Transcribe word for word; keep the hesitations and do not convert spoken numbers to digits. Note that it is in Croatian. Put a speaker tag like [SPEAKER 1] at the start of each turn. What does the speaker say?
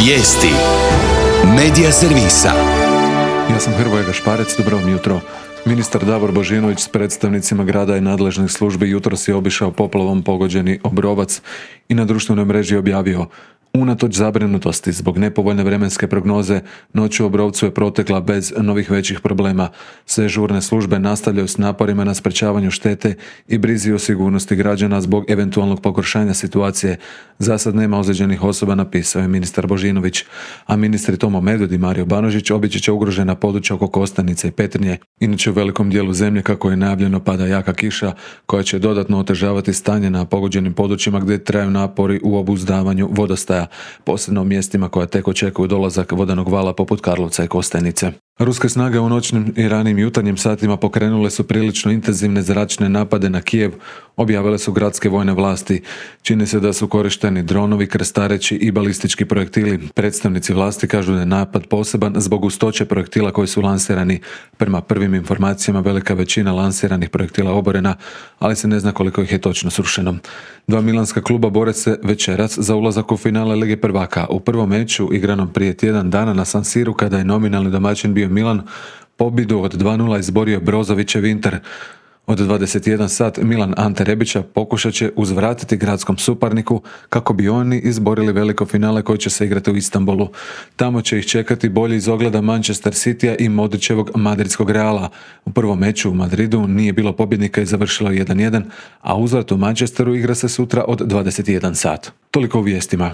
[SPEAKER 1] Vijesti Medija servisa.
[SPEAKER 2] Ja sam Hrvoje Gašparec, dobro vam jutro. Ministar Davor Božinović s predstavnicima grada i nadležnih službi jutros je obišao poplavom pogođeni Obrovac i na društvenoj mreži objavio: unatoč zabrinutosti zbog nepovoljne vremenske prognoze, noć u Obrovcu je protekla bez novih većih problema. Sve žurne službe nastavljaju s naporima na sprečavanju štete i brizi o sigurnosti građana zbog eventualnog pogoršanja situacije. Za sad nema ozlijeđenih osoba, napisao je ministar Božinović. A ministri Tomo Medved i Mario Banožić obići će ugrožena područja oko Kostajnice i Petrinje. Inače, u velikom dijelu zemlje, kako je najavljeno, pada jaka kiša koja će dodatno otežavati stanje na pogođenim područjima gdje traju napori u obuzdavanju vodostaja, posebno u mjestima koja tek očekuju dolazak vodenog vala poput Karlovca i Kostajnice. Ruske snage u noćnim i ranim jutarnjim satima pokrenule su prilično intenzivne zračne napade na Kijev, objavile su gradske vojne vlasti. Čini se da su korišteni dronovi, krstareći i balistički projektili. Predstavnici vlasti kažu da je napad poseban zbog gustoće projektila koji su lansirani. Prema prvim informacijama, velika većina lansiranih projektila oborena, ali se ne zna koliko ih je točno srušeno. Dva milanska kluba bore se večeras za ulazak u finale Lige prvaka. U prvom meču, igranom prije tjedan dana na San Siru, kada je nominalni domaćin bio Milan, pobjedu od dva nula izborio Brozovićev Inter. Od dvadeset jedan sat Milan Ante Rebića pokušat će uzvratiti gradskom suparniku kako bi oni izborili veliko finale koje će se igrati u Istanbulu. Tamo će ih čekati bolji iz ogleda Manchester Citya i Modrićevog madridskog Reala. U prvom meču u Madridu nije bilo pobjednika i završilo jedan jedan, a uzvrat u Manchesteru igra se sutra od dvadeset jedan sat. Toliko u vijestima.